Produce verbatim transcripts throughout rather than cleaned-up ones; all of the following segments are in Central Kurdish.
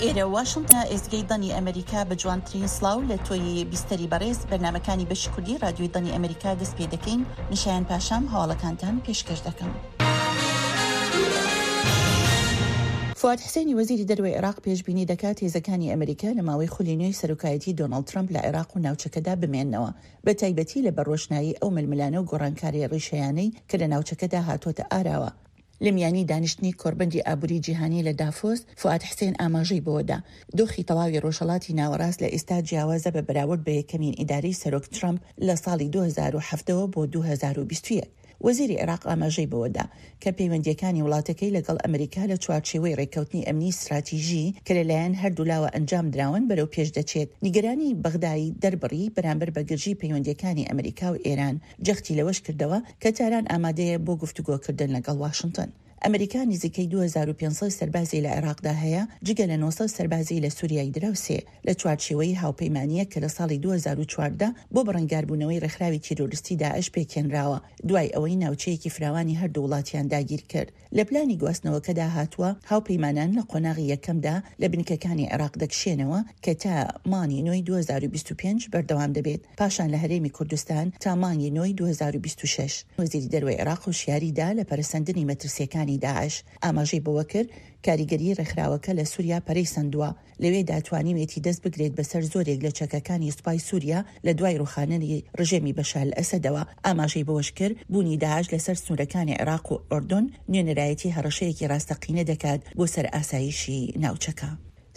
ئێرە واشنتنە، ئێزگەی دەنگی ئەمریکا. بە جوانترین سڵاو لە تۆی بیستەری بەڕێز، بەرنامەکانی بەشی کوردی رادیۆی دەنگی ئەمریکا دەست پێ دەکەین. من شایان پاشام هەواڵەکانتان پێشکەش دەکەم. فواد حسێنی وەزیری دەرەوەی عێراق پێشبینی دەکات هێزەکانی ئەمریکا لە ماوەی خولی نوێی سەرۆکایەتی دۆناڵد ترەمپ لە عێراق و ناوچەکەدا بمێننەوە، بە تایبەتی لەبەر ڕۆشنایی ئەو ململانێ و گۆڕانکارییە ڕیشەیانەی کە لە ناوچەکەدا هاتۆتە ئاراوە. لە میانی دانیشتنی کۆڕبەندی ئابووری جیهانی لە دافۆس، فوئاد حسێن ئاماژەی بەوەدا، دۆخی تەواوی ڕۆژهەڵاتی ناوەڕاست لە ئێستا جیاوازە بە بەراورد بە یەکەمین ئیدارەی سەرۆک ترەمپ لە ساڵی دوو هەزار و حەڤدە وە بۆ دوو هەزار و بیست و یەک. وەزیری عێراق ئاماژەی بەوەدا کە پەیوەندییەکانی وڵاتەکەی لەگەڵ ئەمریکا لە چوارچێوەی ڕێککەوتنی ئەمنی ستراتیژی کە لەلایەن هەردوولاوە ئەنجامدراون بەرەو پێش دەچێت. نیگەرانی بەغدای دەربڕی بەرامبەر بە گرژی پەیوەندییەکانی ئەمریکا و ئێران، جەختی لەوەش کردەوە کە تاران ئامادەیە بۆ گفتوگۆکردن لەگەڵ واشنتن. ئەمریکا نزیکەی دوو هەزار و پێنج سەد سەربازی لە عێراقدا هەیە، جگە لە نۆ سەد سەربازی لە سوریای دراوسێ، لە چوارچێوەی هاوپەیمانییەک کە لە ساڵی دوو هەزار و چواردە بۆ بەرەنگاربوونەوەی ڕێکخراوی تیرۆریستی داعش پێکهێنراوە، دوای ئەوەی ناوچەیەکی فراوانی هەردوو وڵاتیان داگیرکرد. لە پلانی گواستنەوەکەدا هاتووە، هاوپەیمانان لە قۆناغی یەکەمدا لە بنکەکانی عێراق دەکشێنەوە کە تا مانگی نۆی دوو هەزار و بیست و پێنج بەردەوام دەبێت، پاشان لە هەرێمی کوردستان تا مانگی نۆی دوو هەزار و بیست و شەش. وەزیری دەرەوەی عێراق هۆشیاری دا لە پەرەسەندنی مەترسییەکانی داعش، ئاماژەی بەوەکرد، کاریگەریی ڕێکخراوەکە لە سوریا پەرەی سەندووە، لەوێدا توانیوێتی دەست بگرێت بەسەر زۆرێک لە چەکەکانی سوپای سوریا لە دوای ڕوخاننی ڕژێمی بەشار ئەسەدەوە. ئاماژەی بەوەشکرد، بوونی داعش لەسەر سنوورەکانی عێراق و ئۆردۆن نوێنەرایەتی هەڕەشەیەکی ڕاستەقینە دەکات بۆ سەر ئاسایشی ناوچەکە.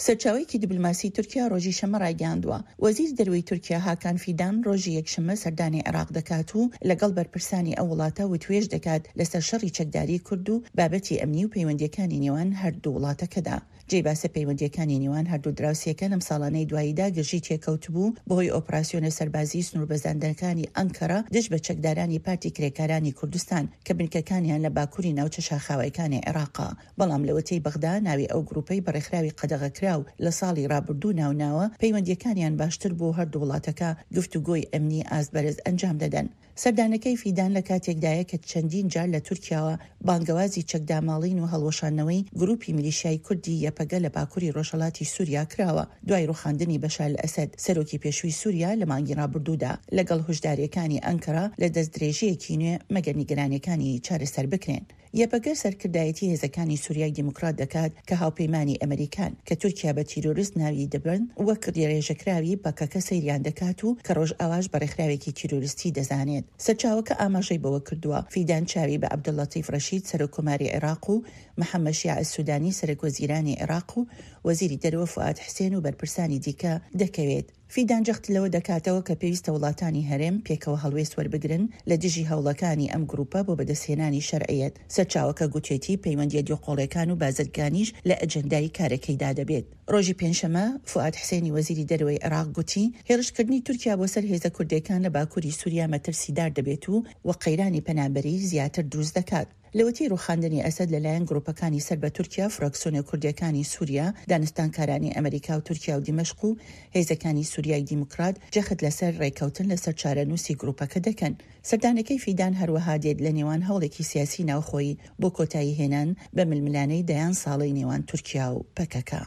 سەرچاوەیەکی دیبلۆماسی تورکیا ڕۆژی شەممە ڕایگەیاندووە، وەزیری دەرەوەی تورکیا هاکان فیدان ڕۆژی یەکشەممە سەردانی عێراق دەکات و لەگەڵ بەرپرسانی ئەو وڵاتە وتوێژ دەکات لەسەر شەڕی چەکداری کورد و بابەتی ئەمنی و پەیوەندییەکانی نێوان هەردوو وڵاتەکەدا. جێی باسە پەیوەندییەکانی نێوان هەردوو دراوسێکە لەم ساڵانەی دواییدا گرژی تێکەوتبوو بەهۆی ئۆپراسیۆنە سەربازیی سنووربەزاندنەکانی ئەنکەرە دژ بە چەکدارانی پارتی کرێکارانی کوردستان کە بنکەکانیان لە باکووری ناوچە شاخاویەکانی عێراقە، بەڵام لەوەتەی بەغدا ناوی ئەو گرووپەی بە ڕێکخراوی قەدەغەکراو لە ساڵی ڕابردوو ناوناوە، پەیوەندییەکانیان باشتر بوو و هەردوو وڵاتەکە گفتوگۆی ئەمنی ئاست بەرز ئەنجام دەدەن. سەردانەکەی فیدان لە کاتێکدایە کە چەندین جار لە تورکیاوە بانگەوازی چەکداماڵین و هەڵوەشاندنەوەی گرووپی میلیشیای کوردی یەپەگە لە باکووری ڕۆژهەڵاتی سووریا کراوە دوای ڕووخاندنی بەشار ئەسەد سەرۆکی پێشووی سووریا لە مانگی ڕابردوودا، لەگەڵ هۆشدارییەکانی ئەنکەرە لە دەستدرێژییەکی نوێ مەگەر نیگەرانییەکانی چارەسەر بکرێن. یەپەگە سەرکردایەتی هێزەکانی سوریای دیموکرات دەکات کە هاوپەیمانی ئەمریکان، کە تورکیا بە تیرۆرست ناوی دەبەن، وەک ڕێژەکراوی پەکەکە سەیریان دەکات و کە ڕۆژئاواش بە ڕێکخراوێکی تیرۆریستی دەزانێت. سەرچاوەکە ئاماژەی بەوە کردووە، فیدان چاوی بە عەبدوللەتیف ڕەشید سەرۆککۆماری عێراق و محەممەد شیاع سودانی سەرەکوەزیرانی عێراق و وەزیری دەرەوە فوئاد حسێن و بەرپرسانی دیکە دەکەوێت. فیدان جەخت لەوە دەکاتەوە کە پێویستە وڵاتانی هەرێم پێکەوە هەڵوێست وەربگرن لە دژی هەوڵەکانی ئەم گروپە بۆ بەدەستهێنانی شەرعیەت. سەرچاوەکە گوتیەتی پەیوەندییە دووقۆڵیەکان و بازرگانیش لە ئەجێندای کارەکەیدا دەبێت. ڕۆژی پێنجشەممە فوئاد حسێنی وەزیری دەرەوەی عێراق گوتی هێڕشکردنی تورکیا بۆ سەر هێزە کوردیەکان لە باکوری سوریا مەترسیدار دەبێت و و قەیرانی پەنابەری زیاتر دروست دەکات. لەوەتەی ڕووخاندنی ئەسەد لەلایەن گروپەکانی سەر بە تورکیا، فراکسیۆنە کوردییەکانی سوریا، دانوستانکارانی ئەمریکا و تورکیا و دیمەشق و هێزەکانی سوریای دیموکرات جەخت لەسەر ڕێککەوتن لەسەر چارەنووسی گروپەکە دەکەن. سەردانەکەی فیدان هەروەها دێت لە نێوان هەوڵێکی سیاسی ناوخۆیی بۆ کۆتایی هێنان بە ململانێی دەیان ساڵەی نێوان تورکیا و پەکەکە.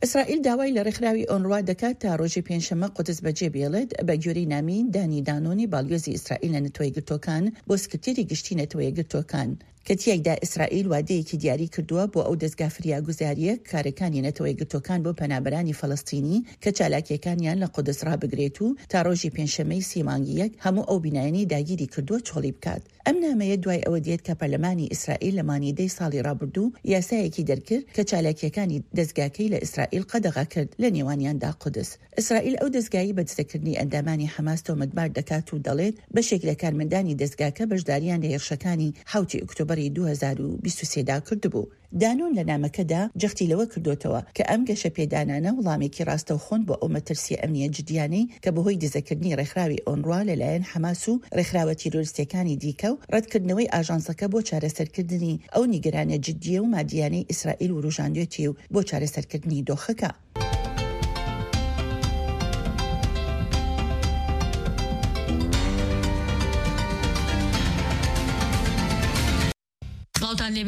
ئیسرائیل داوای لە ڕێکخراوی ئۆنروا دەکات تا ڕۆژی پێنجشەممە قودس بەجێ بێڵێت، بە گوێرەی نامی دانی دانۆنی باڵیۆزی ئیسرائیل لە نەتەوەیەکگرتووەکان بۆ سکرتێری گشتی نەتەوەیەکگرتووەکان، کە تیایدا ئیسرائیل وادەیەکی دیاری کردووە بۆ ئەو دەزگا فریاگوزارییە کارەکانی نەتەوەیەکگرتووەکان بۆ پەنابەرانی فەلەستینی کە چالاکییەکانیان لە قودس ڕابگرێت و تا ڕۆژی پێنجشەممەی سی مانگی یەک هەموو ئەو بینایانەی داگیری کردووە چۆڵی بکات. ئەم نامەیە دوای ئەوە دێت کە پەرلەمانی ئیسرائیل لە مانگی دەی ساڵی ڕابردوو یاسایەکی دەرکرد کە چالاکییەکانی دەزگاکەی لە ئیسرائیل قەدەغە کرد، لە نێوانیاندا قودس. ئیسرائیل ئەو دەزگایەی بە دزەکردنی ئەندامانی حەماس تۆمەتبار دەکات و دەڵێت بەشێک لە کارمەندانی دەزگاکە بەشدارییان لە هێرشەکانی حەوتی ئۆکتۆبەری دوو هەزار و بیست و سێ دا کردبوو. دانۆن لە نامەکەدا جەختی لەوە کردۆتەوە کە ئەم گەشەپێدانانە وڵامێکی ڕاستەوخۆن بۆ ئەو مەترسییە ئەمنییە جدییانەی کە بەهۆی دزەکردنی ڕێکخراوی ئۆنروا لەلایەن حەماس و ڕێکخراوە تیرۆریستییەکانی دیکە و ڕەتکردنەوەی ئاژانسەکە بۆ چارەسەرکردنی ئەو نیگەرانییە جدییە و مادییانەی ئیسرائیل وروژاندوێتی و بۆ چارەسەرکردنی دۆخەکە.